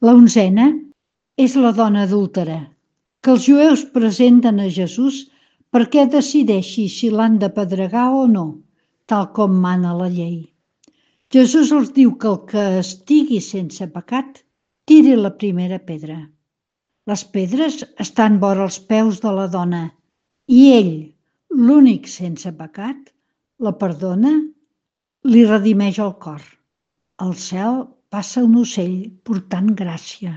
La onzena és la dona adúltera, que els jueus presenten a Jesús perquè decideixi si l'han d'apedregar o no, tal com mana la llei. Jesús els diu que el que estigui sense pecat tiri la primera pedra. Les pedres estan vora els peus de la dona i ell, l'únic sense pecat, la perdona, li redimeix el cor. Al cel passa un ocell portant gràcia.